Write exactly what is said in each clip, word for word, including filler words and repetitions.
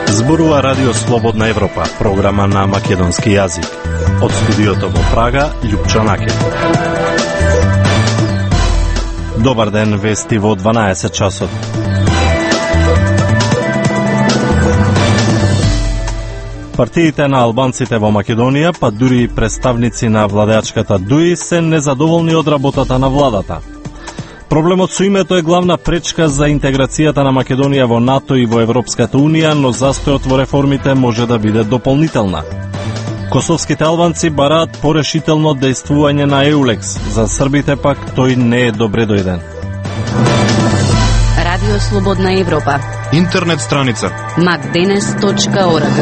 Зборува Радио Слободна Европа, програма на македонски јазик. Од студиото во Прага, Љупчо Накев. Добар ден, вести во дванаесет часот. Партиите на албанците во Македонија, па дури и представници на владеачката ДУИ, се незадоволни од работата на владата. Проблемот со името е главна пречка за интеграцијата на Македонија во НАТО и во Европската Унија, но застојот во реформите може да биде дополнителна. Косовските албанци бараат порешително дејствување на Еулекс, за србите пак тој не е добре дојден. Радио Слободна Европа. Интернет страница макденес точка орг.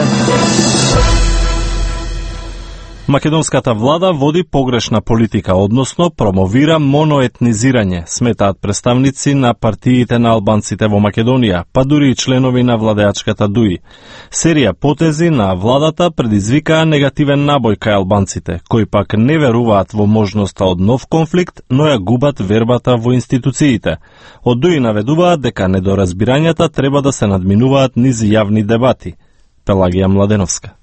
Македонската влада води погрешна политика, односно промовира моноетнизирање, сметаат представници на партиите на албанците во Македонија, па дури и членови на владеачката ДУИ. Серија потези на владата предизвикаа негативен набој кај албанците, кои пак не веруваат во можноста од нов конфликт, но ја губат вербата во институциите. Од ДУИ наведуваат дека недоразбирањата треба да се надминуваат низ јавни дебати. Пелагија Младеновска.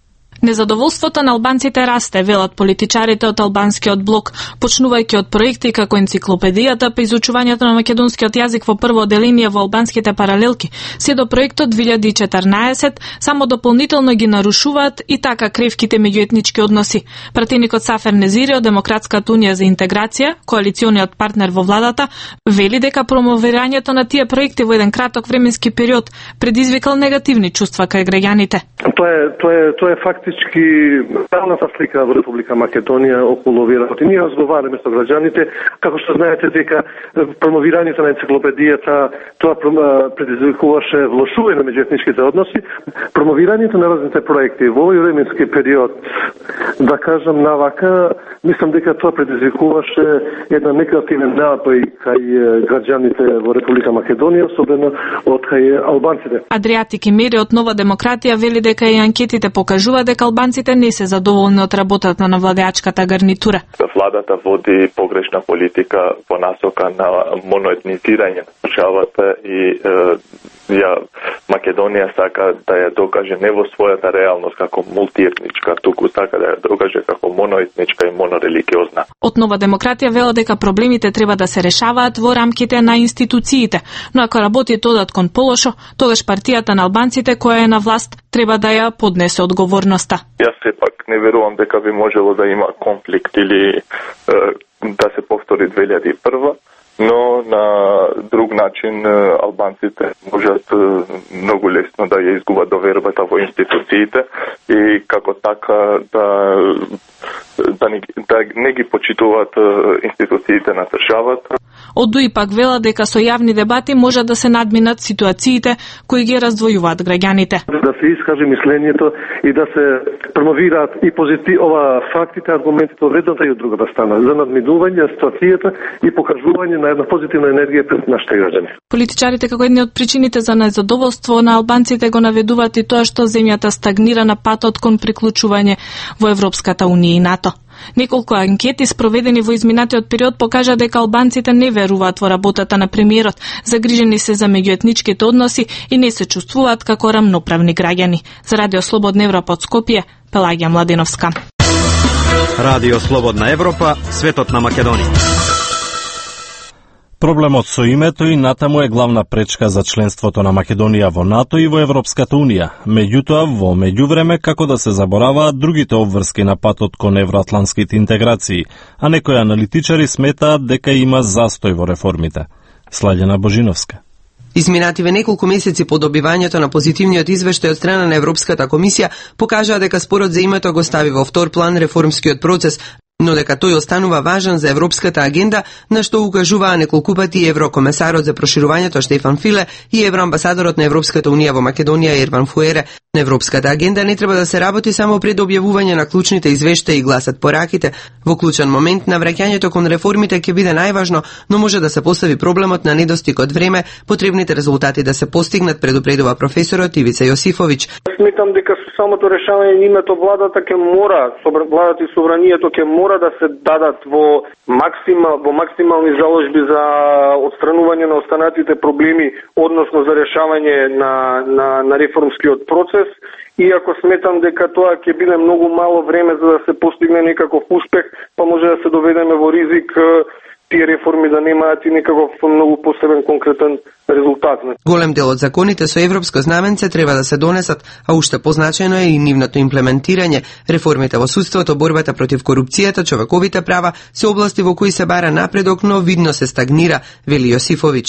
Незадоволството на албанците расте, велат политичарите од албанскиот блок, почнувајќи од проекти како енциклопедијата по изучувањето на македонскиот јазик во прво оделение во албанските паралелки, се до проектот две илјади и четрнаесет, само дополнително ги нарушуваат и така кревките меѓуетнички односи. Пратеникот Сафер Незири од Демократската унија за интеграција, коалициониот партнер во владата, вели дека промовирањето на тие проекти во еден краток временски период предизвикал негативни чувства кај граѓаните. Тоа е, тоа е, тоа е фактички реалната слика во Република Македонија околу овие работи. Ние разговараме со граѓаните, како што знаете дека промовирањето на енциклопедијата тоа предизвикуваше влошување на меѓуетничките односи. Промовирањето на разните проекти во овој временски период, да кажам навака, мислам дека тоа предизвикуваше една негативен напој кај граѓаните во Република Македонија, особено од кај албанците. Адријатик Имери од Нова демократија вели дека и анкетите покажуваат дека албанците не се задоволни од работата на владеачката гарнитура. Владата води погрешна политика во насока на моноетнизирање на државата и е, ја Македонија сака да ја докаже не во својата реалност како мултиетничка, туку сака да ја докаже како моноетничка и монорелигиозна. Од Нова демократија вела дека проблемите треба да се решаваат во рамките на институциите, но ако работите одат кон полошо, тогаш партијата на албанците која е на власт треба да ја поднесе одговорноста. Јас сепак не верувам дека би можело да има конфликт или е, да се повтори две илјади и прва, но на друг начин албанците можат многу лесно да ја изгубат довербата во институциите и како така да да не, да не ги почитуваат институциите на државата. Од ДУИ пак вела дека со јавни дебати може да се надминат ситуациите кои ги раздвојуваат граѓаните. Да се искаже мислењето и да се промовираат и позитив ова фактите, аргументите од едната и од другата страна за надминување на ситуацијата и покажување на една позитивна енергија пред нашите граѓани. Политичарите како едни од причините за незадоволство на албанците го наведуваат и тоа што земјата стагнира на патот кон приклучување во Европската унија и НАТО. Неколку анкети спроведени во изминатиот период покажа дека албанците не веруваат во работата на премиерот, загрижени се за меѓуетничките односи и не се чувствуваат како рамноправни граѓани. За Радио Слободна Европа од Скопје, Пелагија Младеновска. Радио Слободна Европа, светот на Македонија. Проблемот со името и натаму е главна пречка за членството на Македонија во НАТО и во Европската Унија. Меѓутоа, во меѓувреме, како да се забораваат другите обврски на патот кон евроатлантските интеграции, а некои аналитичари сметаат дека има застој во реформите. Слаѓана Божиновска. Изминативе неколку месеци по добивањето на позитивниот извештај од страна на Европската комисија покажаа дека спорот за името го стави во втор план реформскиот процес, но дека тој останува важен за европската агенда, на што укажуваа неколку пати еврокомесарот за проширувањето Штефан Филе и евроамбасадорот на Европската унија во Македонија Ерван Фуере. На европската агенда не треба да се работи само пред објавување на клучните извештаи и гласат по раките. Во клучен момент на враќањето кон реформите ќе биде најважно, но може да се постави проблемот на недостиг од време, потребните резултати да се постигнат, предупредува професорот Ивица Јосифовиќ. Сметам дека со самото решавање на името владата ќе мора, владата и собранието ќе мора мора да се дадат во максимал во максимални заложби за отстранување на останатите проблеми, односно за решавање на на на реформскиот процес. Иако сметам дека тоа ќе биде многу мало време за да се постигне некаков успех, па може да се доведеме во ризик тие реформи да немаат и некаков многу посебен конкретен резултат. Голем дел од законите со европско знаменце треба да се донесат, а уште позначено е и нивното имплементирање. Реформите во судството, борбата против корупцијата, човековите права се области во кои се бара напредок, но видно се стагнира, вели Јосифовиќ.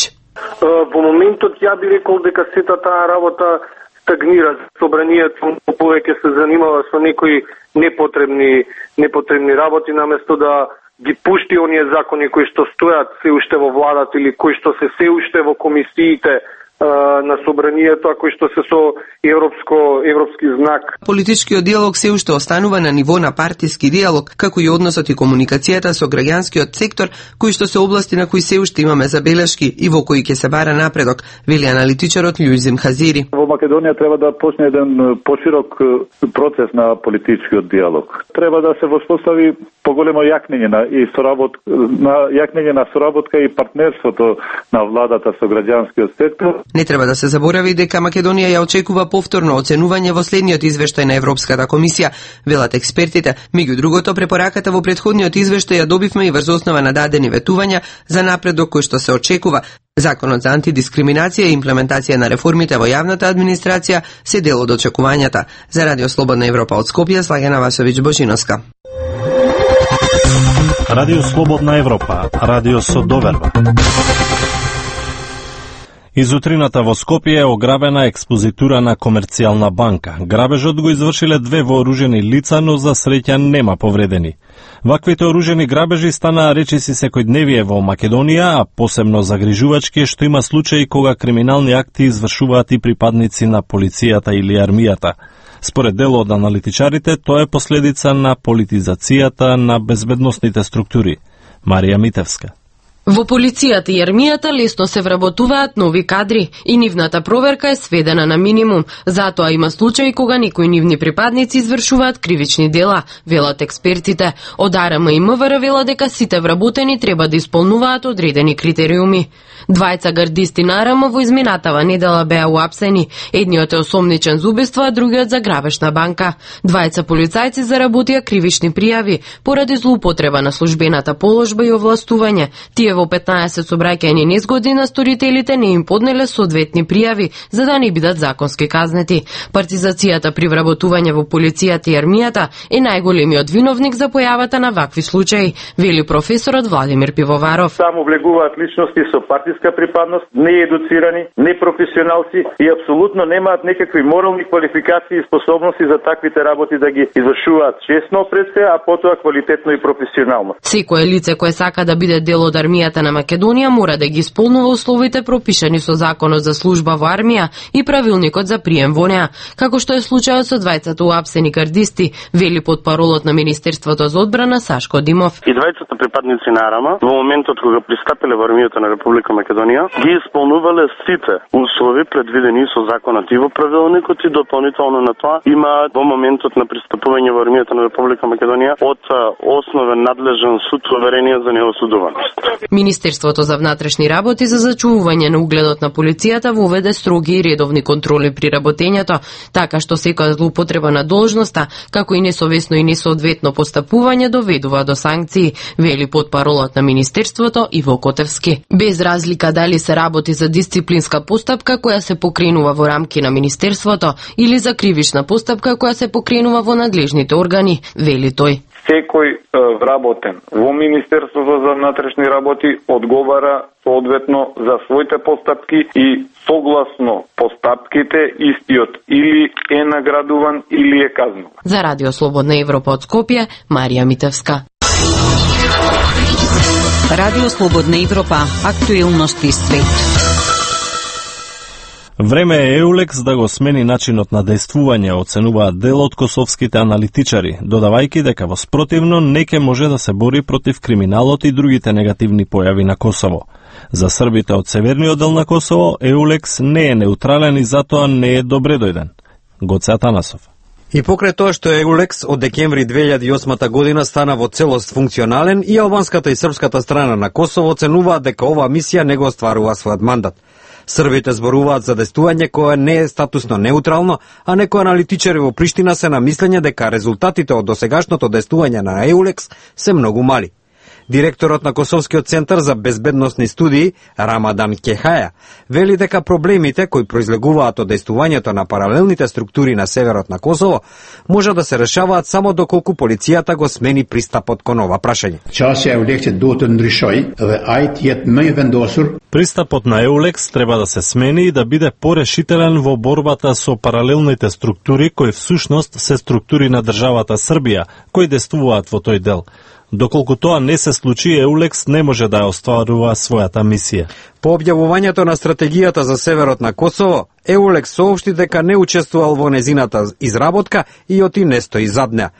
Во моментот ја би рекол дека сета таа работа стагнира. Собранието повеќе се занимава со некои непотребни непотребни работи наместо да ги пушти оние закони кои што стојат се уште во владата или кои што се се уште во комисиите на собранието, а кои што се со европско европски знак. Политичкиот диалог се уште останува на ниво на партиски диалог, како и односот и комуникацијата со граѓанскиот сектор, кои што се области на кои се уште имаме забелешки и во кои ќе се бара напредок, вели аналитичарот Лјузим Хазири. Во Македонија треба да почне еден поширок процес на политичкиот диалог. Треба да се воспостави поголемо јакнење на и соработка на јакнење на соработка и партнерството на владата со граѓанскиот сектор. Не треба да се заборави дека Македонија ја очекува повторно оценување во следниот извештај на Европската комисија, велат експертите. Меѓу другото, препораката во претходниот извештај ја добивме и врз основа на дадени ветувања за напредок кој што се очекува. Законот за антидискриминација и имплементација на реформите во јавната администрација се дел од очекувањата. За Радио Слободна Европа од Скопје, Слагена Васовиќ Божиновска. Радио Слободна Европа, радио со доверба. Изутрината во Скопје е ограбена експозитура на комерцијална банка. Грабежот го извршиле две вооружени лица, но за среќа нема повредени. Ваквите оружени грабежи станаа речиси секојдневие во Македонија, а посебно загрижувачки е што има случаи кога криминални акти извршуваат и припадници на полицијата или армијата. Според дел од аналитичарите, тоа е последица на политизацијата на безбедносните структури. Марија Митевска. Во полицијата и армијата лесно се вработуваат нови кадри и нивната проверка е сведена на минимум. Затоа има случаи кога некои нивни припадници извршуваат кривични дела, велат експертите. Од АРМ и МВР вела дека сите вработени треба да исполнуваат одредени критериуми. Двајца гардисти на АРМ во изминатава недела беа уапсени. Едниот е осомничен за убиство, а другиот за грабеж на банка. Двајца полицајци заработија кривични пријави поради злоупотреба на службената положба и овластување. Тие во петнаесет собраќајни незгоди на сторителите не им поднеле соодветни пријави за да не бидат законски казнети. Партизацијата при вработување во полицијата и армијата е најголемиот виновник за појавата на вакви случаи, вели професорот Владимир Пивоваров. Само влегуваат личности со партиска припадност, неедуцирани, непрофесионалци и апсолутно немаат некакви морални квалификации и способности за таквите работи да ги извршуваат честно пред се, а потоа квалитетно и професионално. Секое лице кое сака да биде дел од армијата на Македонија мора да ги исполнува условите пропишани со Законот за служба во армија и правилникот за прием во неа, како што е случајот со двајцата уапсени гардисти, вели потпаролот на Министерството за одбрана Сашко Димов. И двајцата припадници на АРМ во моментот кога пристапиле во армијата на Република Македонија ги исполнувале сите услови предвидени со законот и во правилникот и дополнително на тоа има во моментот на пристапување во армијата на Република Македонија од основен надлежен суд уверение за неосудуваност. Министерството за внатрешни работи за зачувување на угледот на полицијата воведе строги и редовни контроли при работењето, така што секоја злоупотреба на должноста, како и несовесно и несоодветно постапување доведува до санкции, вели потпаролот на Министерството Иво Котевски. Без разлика дали се работи за дисциплинска постапка која се покренува во рамки на Министерството или за кривична постапка која се покренува во надлежните органи, вели тој. Секој е, вработен во Министерството за внатрешни работи одговара соодветно за своите постапки и согласно постапките истиот или е наградуван или е казнуван. За Радио Слободна Европа од Скопје, Марија Митевска. Радио Слободна Европа, актуелности свет. Време е Еулекс да го смени начинот на дејствување, оценуваат дел од косовските аналитичари, додавајќи дека во спротивно не ќе може да се бори против криминалот и другите негативни појави на Косово. За србите од северниот дел на Косово, Еулекс не е неутрален и затоа не е добре дојден. Гоце Атанасов. И покрај тоа што Еулекс од декември две илјади и осма година стана во целост функционален, и албанската и српската страна на Косово оценуваат дека оваа мисија не го остварува својот мандат. Србите зборуваат за действување кое не е статусно неутрално, а некои аналитичари во Приштина се на мислење дека резултатите од досегашното действување на Еулекс се многу мали. Директорот на Косовскиот центар за безбедносни студии, Рамадан Кехаја, вели дека проблемите кои произлегуваат од действувањето на паралелните структури на северот на Косово може да се решаваат само доколку полицијата го смени пристапот кон ова прашање. Пристапот на Еулекс треба да се смени и да биде порешителен во борбата со паралелните структури кои всушност се структури на државата Србија, кои действуваат во тој дел. Доколку тоа не се случи, Еулекс не може да ја остварува својата мисија. По објавувањето на стратегијата за северот на Косово, Еулекс соопшти дека не учествувал во незината изработка и оти не стои зад неа.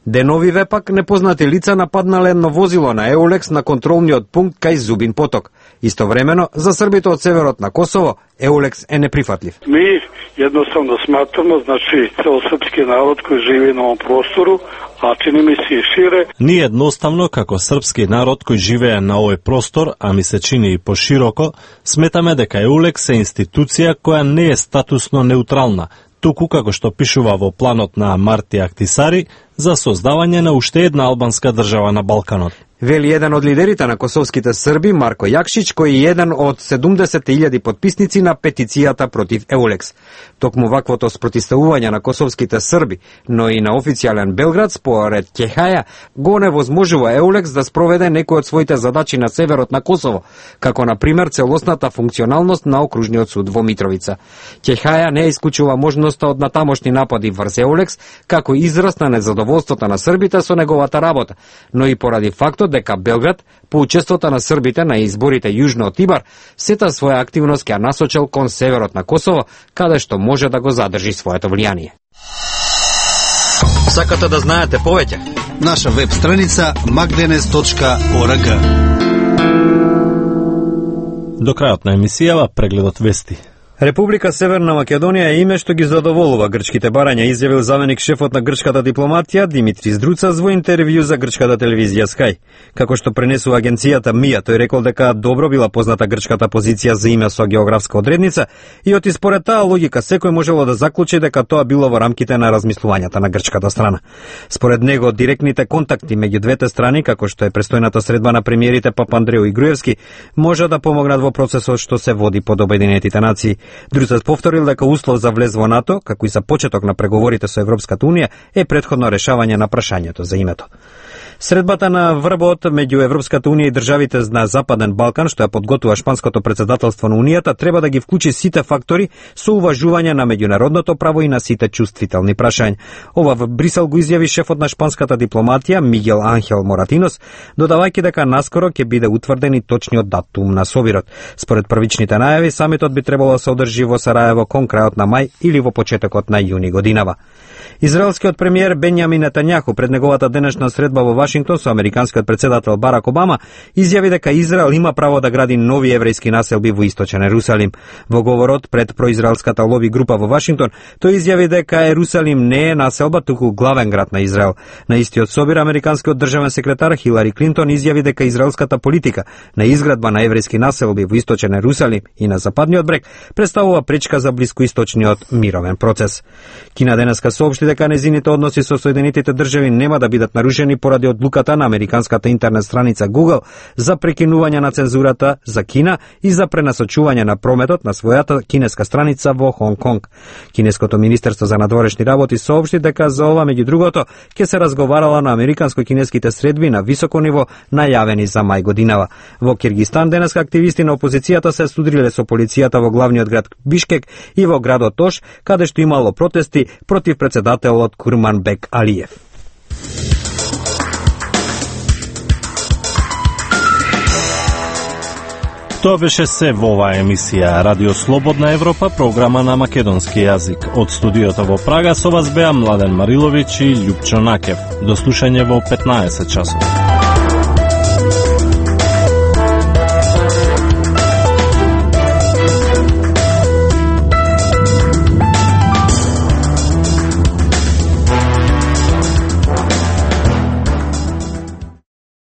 Деновиве пак непознати лица нападнале едно возило на Еулекс на контролниот пункт кај Зубин поток. Истовремено, за србите од северот на Косово, Еулекс е неприфатлив. Ми едноставно сматаме, значи, цел српски народ кој живее на овој простору, а чини ми се шире. Ние едноставно, како српски народ кој живее на овој простор, а ми се чини и пошироко, сметаме дека Еулекс е институција која не е статусно неутрална, туку како што пишува во планот на Марти Ахтисари за создавање на уште една албанска држава на Балканот. Вели еден од лидерите на косовските срби, Марко Јакшич, кој е еден од седумдесет илјади потписници на петицијата против Еулекс. Токму ваквото спротивставување на косовските срби, но и на официјален Белград, според Кехаја, го невозможува Еулекс да спроведе некои од своите задачи на северот на Косово, како на пример целосната функционалност на окружниот суд во Митровица. Кехаја не исклучува можноста од натамошни напади врз Еулекс, како израз на незадоволството на србите со неговата работа, но и поради фактот дека Белград, по учеството на србите на изборите јужно од Тибар, сета своја активност ќе насочил кон северот на Косово, каде што може да го задржи своето влијание. Сакате да знаете повеќе? Наша веб страница magdenes точка org. До крајот на емисијава прегледот вести. Република Северна Македонија е име што ги задоволува грчките барања, изјавил заменик шефот на грчката дипломатија Димитрис Друцас во интервју за грчката телевизија Sky. Како што пренесува агенцијата МИА, тој рекол дека добро била позната грчката позиција за име со географска одредница и оти според таа логика секој можело да заклучи дека тоа било во рамките на размислувањата на грчката страна. Според него, директните контакти меѓу двете страни, како што е престојната средба на премиерите Папандреу и Груевски, може да помогнат во процесот што се води под Обединетите нации. Друцас повторил дека услов за влез во НАТО, како и за почеток на преговорите со Европската Унија, е претходно решавање на прашањето за името. Средбата на врбот меѓу Европската Унија и државите на Западен Балкан, што ја подготвува шпанското председателство на Унијата, треба да ги вклучи сите фактори со уважување на меѓународното право и на сите чувствителни прашања. Ова во Брисел го изјави шефот на шпанската дипломатија Мигел Анхел Моратинос, додавајќи дека наскоро ќе биде утврден и точниот датум на собирот. Според првичните најави, самитот би требало да се одржи во Сараево кон крајот на мај или во почетокот на јуни годинава. Израелскиот премиер Бенјамин Нетањаху пред неговата денешна средба во Вашингтон со американскиот председател Барак Обама изјави дека Израел има право да гради нови еврејски населби во источен Ерусалим. Во говорот пред произраелската лоби група во Вашингтон, тој изјави дека Ерусалим не е населба, туку главен град на Израел. На истиот собир, американскиот државен секретар Хилари Клинтон изјави дека израелската политика на изградба на еврејски населби во источен Ерусалим и на западниот брег представува пречка за блискоисточниот мировен процес. Кина денеска соопшти дека незините односи со Соединетите држави нема да бидат нарушени поради одлуката на американската интернет страница Google за прекинување на цензурата за Кина и за пренасочување на прометот на својата кинеска страница во Хонг Конг. Кинеското министерство за надворешни работи соопшти дека за ова, меѓу другото, ќе се разговарала на американско-кинеските средби на високо ниво најавени за мај годинава. Во Киргистан денеска активисти на опозицијата се судриле со полицијата во главниот град Бишкек и во градот Ош, каде што имало протести против председателот Курманбек Алиев. Тоа беше се во оваа емисија Радио Слободна Европа, програма на македонски јазик. Од студиото во Прага со вас беа Младен Мариловиќ и Љупчо Накев. До слушање во петнаесет часот.